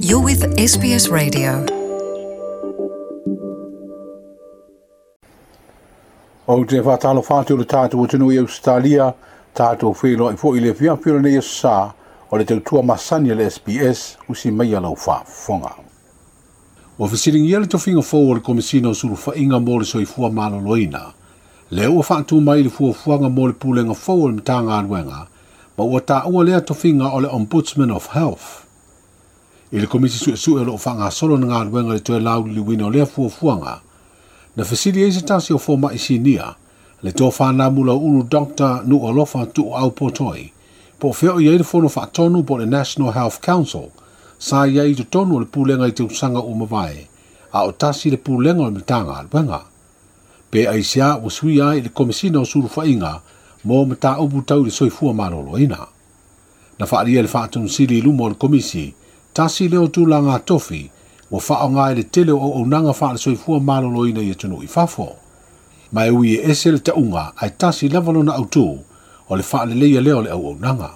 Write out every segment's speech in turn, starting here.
You're with SBS Radio. Ou te faatalofa atu i le tatou atunuu i Ausetalia, tatou feiloai foi i le afiafi o lenei aso Sa o le tautua masani a le SBS, usi maia lau faafofoga. Ua fesiligia le tofiga fou o le Komesina o Sulufaiga mo le Soifua Maloloina, lea ua faatu mai le fuafuaga mo le Pulega fou o le Matagaluega, ma ua taua lea tofiga o le Ombudsman of Health. I le Komisi Suesue o lo o faagasolo na galuega i le toe lauliliuina o lea fuafuaga, na fesili ai se tasi o fomai sinia, le Tofa Namulauulu Doctor Nuualofa Tuuau Potoi, po o fea o i ai le Fono Faatonu po o le National Health Council, sa i ai i totonu o le Pulega i tausaga ua mavae, a o tasi le Pulega o le Matagaluega. Pe aisea ua suia ai i le Komesina o Sulufaiga mo mataupu tau i le soifua maloloina. Na faaalia e le Faatonusili i luma o le Komisi, tasi lea o tulaga tofi ua faaaoga i le tele o auaunaga faale-soifua maloloina i atunuu i fafo. Ma e ui e ese le tauga ae tasi lava lona autū o le faaleleia lea o le auaunaga.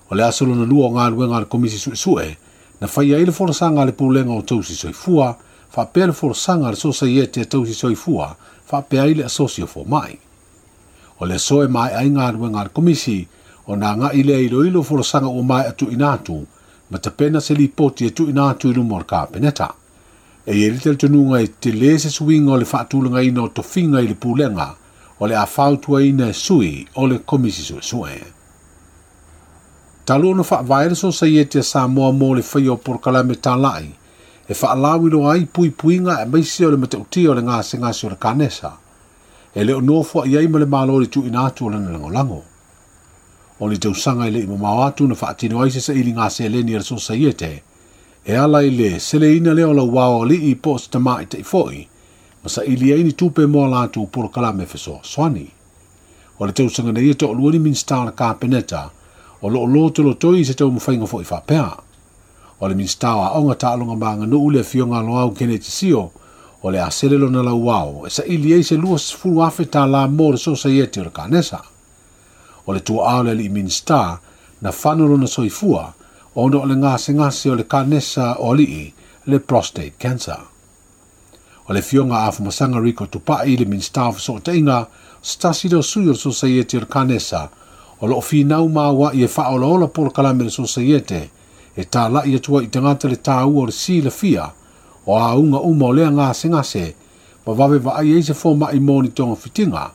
O le aso lona lua o galuega a le Komisi Suesue, na faia ai le folasaga a le Pulega o Tausi Soifua, faapea le folasaga a le Sosaiete a Tausi Soifua, faapea ai le Asosi o Fomai. O le aso e maea ai galuega a le Komisi, ona agai lea e iloilo folasaga ua maea tuuina atu, ma tapena se lipoti e tuuina atu i luma o le Kapeneta. E i ai le talitonuga e tele se suiga o le faatulagaina o tofiga i le Pulega o le a fautuaina e sui o le Komisi Suesue. Talu ona faavae le Sosaiete a Samoa mo le faia o polokalame talai e faalauiloa ai puipuiga aemaise o le matautia o le gasegase o le kanesa, e le o nofoai ai ma le Malo i le tuuina atu o lana lagolago. O ni tausaga e le i mamao atu na faatino ai se sailiga seleni a le Sosaiete e ala i le seleina lea o lauao alii po o se tamaitai foi ma saili ai ni tupe mo a latou polokalame fesoasoani. O le tausaga nei e toalua ni Minisita o le Kapeneta o lo o lotolotoi i se taumafaiga foi faapea. O le Minisita o Aoga Taaloga ma Aganuu le Afioga a Loau Keneti Sio o le a sele lona lauao e saili ai se $20,000 mo le Sosaiete o le Kanesa. O le tuaa o le alii Minisita na fano lona soifua ona o le gasegase o le kanesa o alii, le prostate cancer. O le Afioga a Afamasaga Rico Tupai le Minisita o Fesootaiga, se tasi lea o sui o le Sosaiete o le Kanesa o lo o finau ma auai e faaolaola polokalame a le Sosaiete e talai atu ai i tagata le taua o le silafia o auga uma o lea gasegase ma vave vaai ai se fomai mo ni togafitiga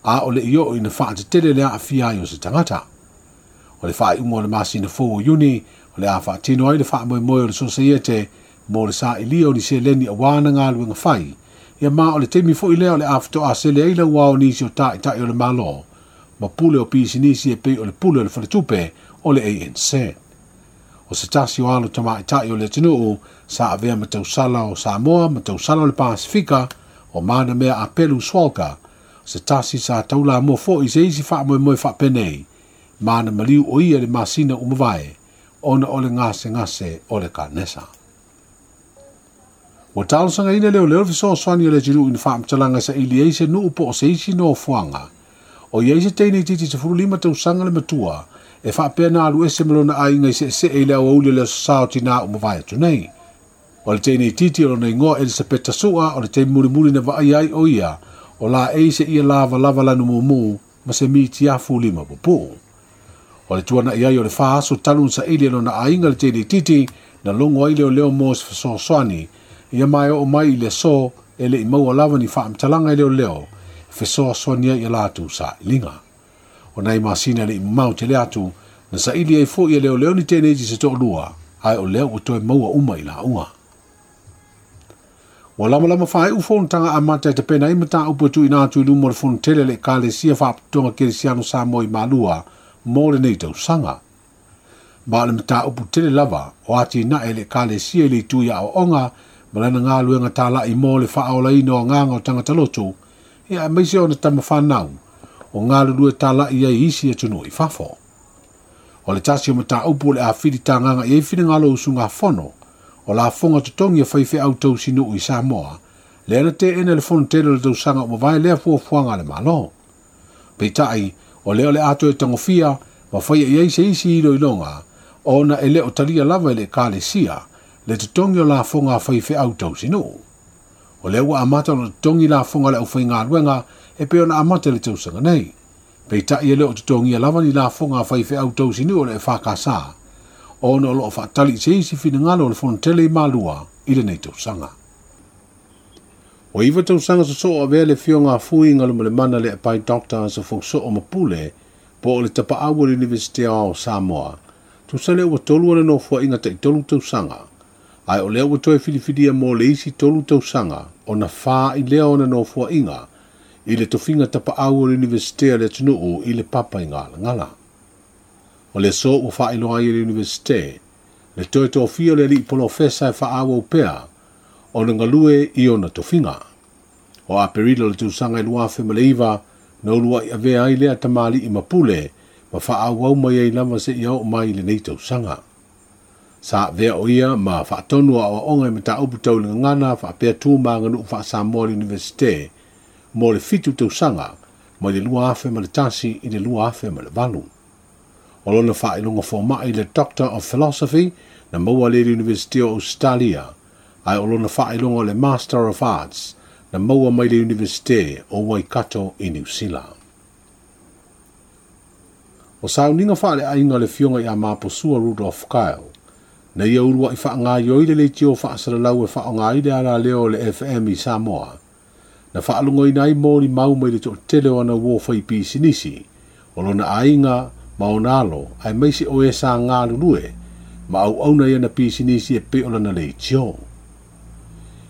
a o le i oo ina faatetele le aafia ai o se tagata. O le faaiuga o le masina fou o Iuni, o le a faatino ai le faamoemoe o le Sosaiete mo le sailia o ni seleni auā na galuega fai, ia ma o le taimi foi lea o le a faatoa sele ai lauao o nisi o taitai o le Malo ma pule o pisinisi e pei o le pule o le faletupe o le ANZ. O se tasi o alo tamaitai o le atunuu sa avea ma tausala o Samoa ma tausala o le Pasifika o Manamea Apelu Swalka, se tasi sa taulamua foi i se isi faamoemoe faapenei, ma na maliu o ia i le masina ua mavae ona o le gasegase o le kanesa. Ua talosagaina leoleo le fesoasoani a le atunuu i ni faamatalaga e saili ai se nuu po o se isi nofoaga o i ai se teine itiiti 15 tausaga le matua e faapea na alu ese ma lona aiga i seesee i le aoauli o le Aso Sa o Tinā ua mavae atu nei. O le teine itiiti o lona igoa Elisapeta Su'a o le taimi mulimuli na vaaia ai o ia o laei seia lavalava lanu mumu ma se mitiafu lima pupuu. O le tuana'i ai o le fa aso talu na saili e lona aiga le teine itiiti na logo ai leoleo mo se fesoasoani ia ma e oo mai i le aso e le i maua lava ni faamatalaga i leoleo e fesoasoani ai i a latou sailiga. O nai masina e le i mamao tele atu na saili ai foi e leoleo ni teine iti se toalua ae o lea ua toe maua uma i lauga. Ua lamalama faaiu fonotaga amata e tapena ai mataupu e tuuina atu i luma o le Fonotele a le Ekalesia Faapotopotoga Kerisiano Samoa i Malua mo lenei tausaga. Ma o le mataupu tele lava o atinae e le Ekalesia i le itu i aoaoga ma lana galuega talai mo le faaolaina o agaga o tagata lotu, ia aemaise ona tama fanau o galulue talai ai i isi atunuu i fafo. O le tasi o mataupu o le a filitagaga i ai finagalo o usugafono, o lafoga totogi a faifeau tausinuu i Samoa, lea na teena e le Fonotele o le tausaga ua mavae lea fuafuaga a le Malo. Peitai, o lea o le a toe tagofia ma faia i ai se isi iloiloga ona e le o talia lava e le Ekalesia Le totogi o lafoga a faifeau tausinuu. O lea ua amata ona totogi lafoga a le aufaigaluega e pei ona amata i le tausaga nei. Peitai e le o totogia lava ni lafoga a faifeau tausinuu o le EFKS ona o lo o faatali i se isi finagalo o le Fonotele i Malua i lenei tausaga. Ua 9 tausaga sosoo avea le afioga a Fui Galumalemana le Apai Dr. Asofousoo Mapule po o le tapaau o le Iunivesite Aoao o Samoa, tusa lea ua 3 ona nofoaiga tai 3 tausaga, ae o lea ua toe filifilia mo le isi 3 tausaga ona 4 i lea ona nofoaiga i le tofiga tapaau o le Iunivesite a le atunuu i le papa i Galagala. O le aso ua faailoa ai e le Iunivesite le toe tofia o le alii polofesa e faaauau pea ona galue i ona tofiga. O Aperila o le tausaga i 2009 na uluai avea ai lea tamalii Mapule ma faaauau mai ai lava seia oo mai i lenei tausaga. Sa avea o ia ma faatonu aoaoga i mataupu tau le gagana faapea tu ma aganuu faa-Samoa i le Iunivesite mo le 7 tausaga mai le 2001 i le 2008. O lona faailoga fomai le Doctor of Philosophy na maua le Iunivesite o Australia, ae o lona faailoga o le Master of Arts na maua mai le Iunivesite o Waikato i Niu Sila. O sauniga faaleaiga le afioga ia Maposua Rudolf Kyle, na ia uluai faagaioi le leitio faasalalau e faaaoga le alaleo o le FM i Samoa, na faalogoina ai molimau mai le toatele o ana uo faipisinisi, o lona aiga ma ona alo, aemaise o e sa galulue, ma auauna i ana pisinisi e pei o lana leitio.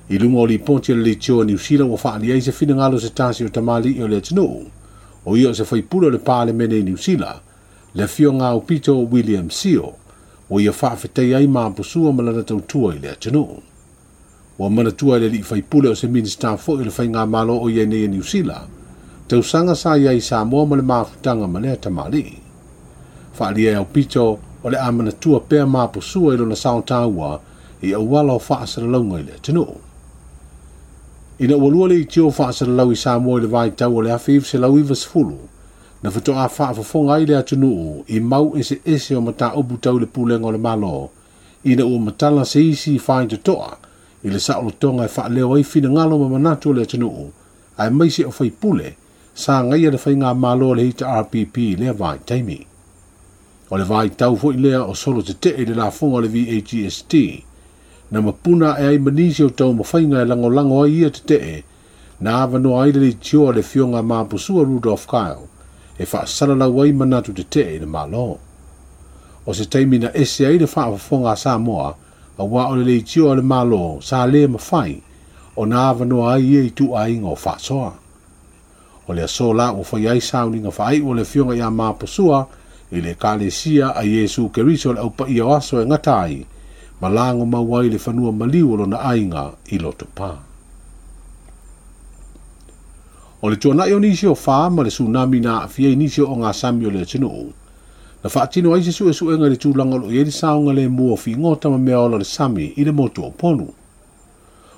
I luga o lipoti a le leitio a Niu Sila ua faaali ai se finagalo se tasi o tamalii o le atunuu, o ia o se faipule o le Palemene i Niu Sila, le afioga Aupito William Sio, ua ia faafetai ai Maposua ma lana tautua i le atunuu. Ua manatua e le alii faipule o se Minista foi o le Faigamalo o iai nei e Niu Sila, tausaga sa iai i Samoa ma le mafutaga ma lea tamalii. Faalia e Aupito o le a manatua pea Maposua i lona sao taua i auala o faasalalauga i le atunuu. Ina ua lua le itio faasalalau i Samoa i le vaitau o le 1990, na faatoa faafofoga ai le atunuu i mau eseese o mataupu tau le pulega o le Malo, ina ua matala se isi faitotoa i le saolotoga e faaleo ai finagalo ma manatu o le atunuu, aemaise o faipule sa gaia le faigamalo o le HRPP i lea vaitaimi. O le vaitau foi lea o solo tetee i le lafoga o le VAGST, na mapuna e ai manisi o taumafaiga e lagolago ai ia tetee, na avanoa ai le leitioa le afioga Maposua Rudolf Kyle e faasalalau ai manatu tetee i le Malo. O se taimi na ese ai le faafofoga a Samoa, auā o le leitioa a le Malo sa le mafai ona avanoa ai ia ituaiga o faasoa. O le aso la ua fai ai sauniga faaiu o le afioga ia Maposua i le Ekalesia a Iesu Keriso le aupaia o aso e gata ai, ma lago mau ai le fanua maliu o lona aiga i Lotopa. O le tuanai o nisi o wha ma le tsunami na aafia i nisi o ngā sami o le atunuu, na faatino ai se suesuega i le tulaga o lo o i ai le saogalemu o figota ma mea ola o le sami i le motu o Upolu.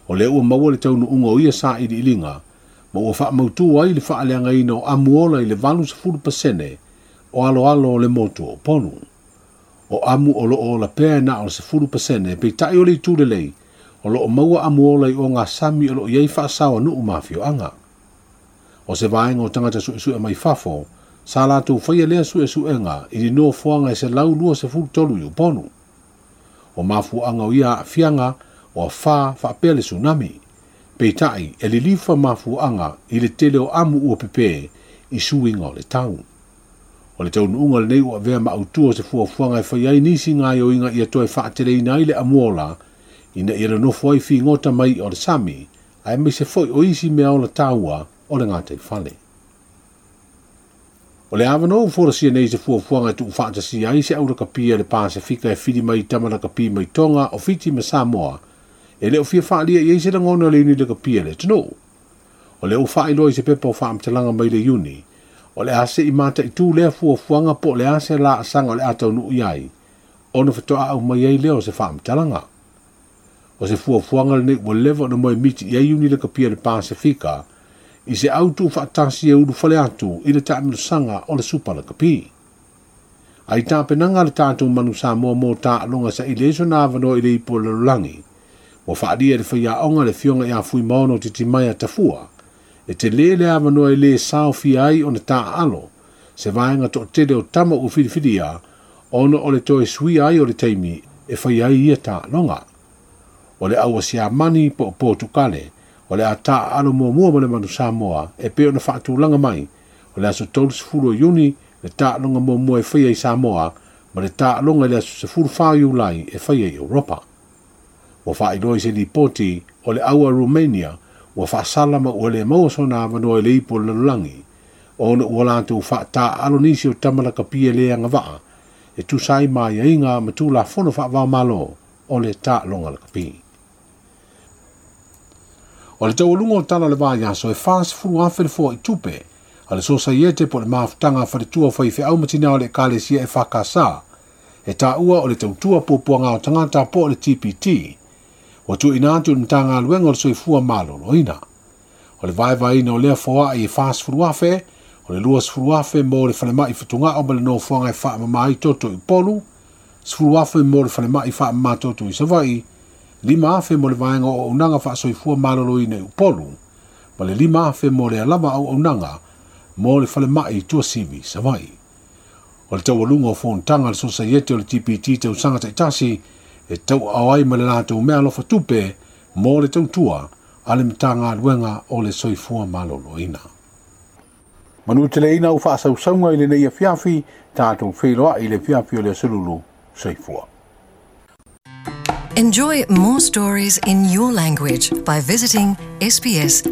O lea ua maua le taunuuga o ia sailiiliga, ma ua faamautu ai le faaleagaina o amu ola i le 80% o aloalo o le motu o Upolu. O amu o loo ola pea e na o le 10%, peitai o le itu lelei, o loo maua amu ola i o ngā sami o loo i ai faasao a nuu ma afioaga. O se vaega o tagata suesue mai fafo, sa latou faia lea suesuega i le nofoaga e 123 i Upolu. O mafuaaga o ia aafiaga o afa faapea le tsunami. Peitai e lilifa mafuaaga i le tele o amu ua pepe i suiga o le tau. O le taunuuga lenei ua avea ma autu o se fuafuaga e fai ai nisi gaoioiga ia toe faateleina ai le amuola ina ia nonofo ai figota mai o le sami, aemaise foi o isi mea ola taua o le gataifale. O le avanoa ua folasia nei se fuafuaga e tuufaatasia ai se aulakapi a le Pasefika e fili mai tama lakapi mai Tonga o Fiti ma Samoa, e le o fia faalia i ai se lagona o le iuni lakapi a le atunuu. O lea ua faailoa i se pepa o faamatalaga mai le Iuni, o le a se'i mataitu lea fuafuaga po o le a se laasaga o le a taunuu i ai, ona faatoa aumai ai lea o se faamatalaga. O se fuafuaga lenei ua leva ona moemiti i ai iuni lakapi a le Pasefika i se au tuufaatasi e ulufale atu i le taamilosaga o le Supa Lakapi. Ai tapenaga a le tatou Manu Samoa mo taaloga saili ai sona avanoa i le ipu o le lalolagi, ua faaalia e le faiaoga le Afioga ia Fuimaono Titimaea Tafua, e telē le avanoa e lē saofia ai ona taaalo se vaega toatele o tama ua filifilia ona o le toe suia ai o le taimi e faia ai ia taaloga. O le au a Siamani po o Potukale o le a taaalo muamua ma le Manu Samoa e pei ona faatulaga mai o le aso 30 o Iuni le taaloga muamua e faia i Samoa ma le taaloga i le aso 14 o Iulai e faia i Europa. Ua faailoa i se lipoti o le au a Romania ua faasala ma ua le maua sona avanoa i le ipu o le lalolagi ona ua latou faataaalo nisi o tama lakapi e le agavaa e tusa ai ma aiaiga ma Tulafono faava-o-Malo o le taaloga lakapi. O le taualuga o tala o le vaiaso e 40,000 le foai tupe a le Sosaiete po o le Mafutaga a Faletua o Faifeau ma Tina o le Ekalesia EFKS e taua o le Tautua Puapuaga o Tagata po o le TPT ua tuuina atu i le Matagaluega o le Soifua Maloloina. O le vaevaeina o lea foai e 40,000, o le 20,000 mo le falemai fatugao ma le nofoaga e faamama ai toto i Upolu, 10,000 mo le falemai faamama toto i Savaii, 5,000 mo le vaega o auaunaga faasoifua maloloina i Upolu, ma le 5,000 mo le alava auaunaga mo le falemai i Tuasivi i Savaii. O le taualuga o fonotaga a le Sosaiete o le TPT tausaga taitasi e tauaao ai ma le latou meaalofa tupe mo le tautua a le Matagaluega o le Soifua Maloloina. Manuteleina au faasausauga i lenei afiafi, tatou feiloai i le afiafi o le Aso Lulu. Soifua. Enjoy more stories in your language by visiting sbs.com.au.